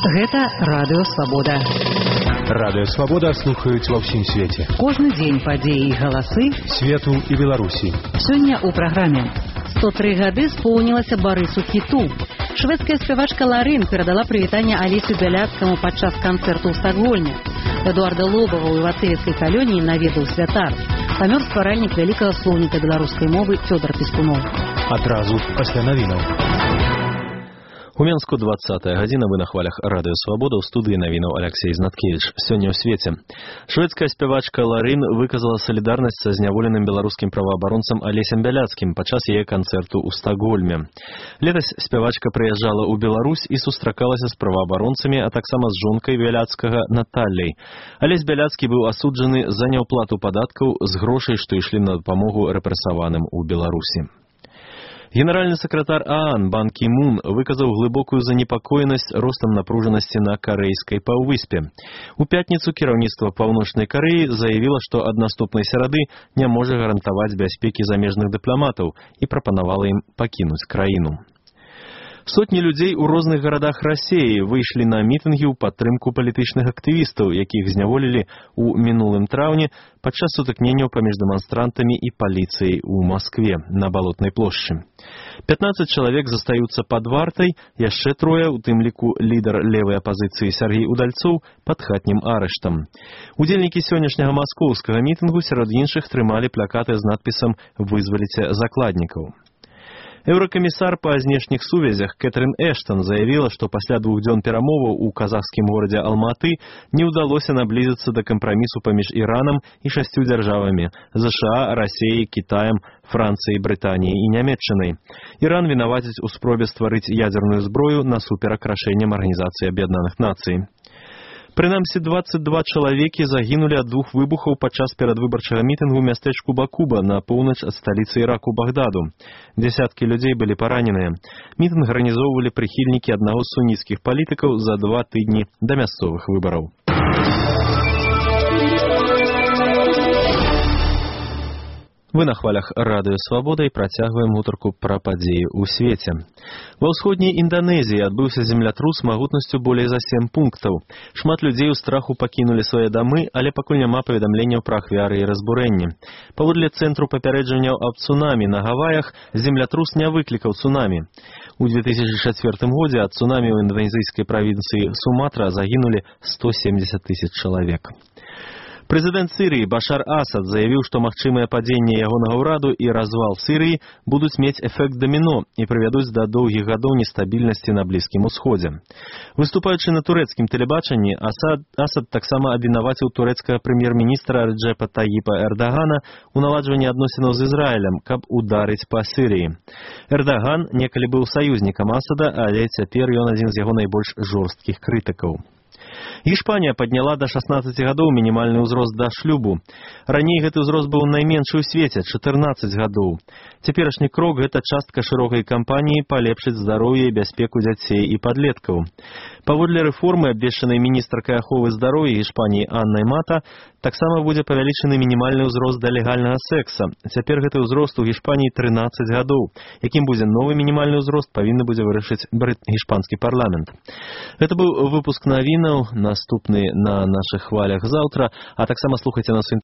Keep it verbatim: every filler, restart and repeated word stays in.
Гэта Радыё Свабода. Радыё Свабода слухаюць ва ўсім свеце. Кожны дзень падзеі і галасы свету і Беларусі. Сёння ў праграме. сто тры гады споўнілася Барысу Хіту. Шведская спявачка Ларин перадала прывітанне Алесю Бяляцкаму падчас канцэрту ў Стакгольме. Эдуарда Лобава ў Івацеевскай калоніі наведаў святар. Памёр стваральнік вялікага слоўніка беларускай мовы Фёдор Пескунов. Адразу пасля навінаў. У Менску двадцатая гадзіна, вы на хвалях Радыё Свабода, ў студыі навінаў Алексей Знаткевич. Сёння ў свеце. Шведская спявачка Ларин выказала салідарнасць са зняволеным беларускім праваабаронцам Алесем Бяляцкім падчас яе канцэрту ў Стакгольме. Летась спявачка прыязджала ў Беларусь і сустракалася з праваабаронцамі, а таксама з жонкай Бяляцкага Наталляй. Алесь Бяляцкі быў асуджаны за няўплату падаткаў з грошай, што ішлі на дапамогу рэпрэсаваным у Беларусі. Генеральны сакратар ААН Бан Кі Мун выказаў глыбокую занепакоенасць ростам напружанасці на карэйскай паўвыспе. У пятніцу кіраўніцтва Паўночнай Карэі заявіла, што ад наступнай серады не можа гарантаваць бяспекі замежных дыпламатаў і прапанавала ім пакінуць краіну. Сотні людзей у розных гарадах Расіі выйшлі на мітынгі ў падтрымку палітычных актывістаў, якіх зняволілі ў мінулым траўні падчас сутыкненняў паміж дэманстрантамі і паліцыяй у Маскве на Балотнай плошчы. пятнаццаць чалавек застаюцца пад вартай, яшчэ трое, у тым ліку лідар левай апазіцыі Сяргей Удальцоў, пад хатнім арыштам. Удзельнікі сённяшняга маскоўскага мітынгу сярод іншых трымалі плакаты з надпісам «Вызваліце закладнікаў». Еўракамісар па знешніх сувязях Кэтрин Эштон заявіла, што пасля двух дзён перамоваў у казахскім горадзе Алматы не ўдалося наблізіцца да кампрамісу паміж Іранам і шасцю дзяржавамі – ЗША, Расіяй, Кітаем, Францыяй, Брытаніяй і Нямецчынай. Іран вінаваціць у спробе стварыць ядзерную зброю насуперак рашэнням Арганізацыі Аб'яднаных Нацый. Прынамсі, дваццаць два чалавекі загінулі ад двух выбухаў падчас перадвыбарчага мітынгу ў мястэчку Бакуба на поўнач ад сталіцы Іраку Багдаду. Дзясяткі людзей былі параненыя. Мітынг арганізоўвалі прыхільнікі аднаго з суніцкіх палітыкаў за два тыдні да мясцовых выбараў. Вы на хвалях Радыё Свабода і працягваем гутарку пра падзеі ў свеце. Ва ўсходняй Інданезіі адбыўся землятрус магутнасцю болей за сем пунктаў. Шмат людзей у страху пакінулі свае дамы, але пакуль няма паведамленняў пра ахвяры і разбурэнні. Паводле цэнтру папярэджанняў аб цунамі на Гаваях, землятрус не выклікаў цунамі. У две тысячи чацвёртым годзе ад цунамі ў інданезійскай правінцыі Суматра загінулі сто семьдесят тысяч чалавек. Прэзідэнт Сірыі Башар Асад заявіў, што магчымае падзенне ягонага ўраду і развал Сірыі будуць мець эфект даміно і прывядуць да доўгіх гадоў нестабільнасці на Блізкім Усходзе. Выступаючы на турэцкім тэлебачанні, Асад, Асад таксама абвінаваціў турэцкага прэм'ер-міністра Реджепа Таіпа Эрдагана ў наладжванні адносінаў з Ізраілем, каб ударыць па Сірыі. Эрдаган некалі быў саюзнікам Асада, але цяпер ён адзін з яго найбольш жорсткіх крытыкаў. Іспанія падняла да шаснаццаці гадоў мінімальны ўзрост да шлюбу. Раней гэты ўзрост быў найменшы ў свеце – чатырнаццаць гадоў. Цяперашні крок – гэта частка шырокай кампаніі палепшыць здароўе і бяспеку дзяцей і падлеткаў. Паводле рэформы, абвешчанай міністркай аховы здароўя Іспаніі Аннай Мата, таксама будзе павялічаны мінімальны ўзрост да легальнага секса. Цяпер гэты ўзрост у Іспаніі трынаццаць гадоў. Якім будзе новы мінімальны ўзрост, павінны будзе вырашыць іспанскі парламент. Гэта быў выпуск навінаў. Наступны на нашых хвалях заўтра, а таксама слухайце нас у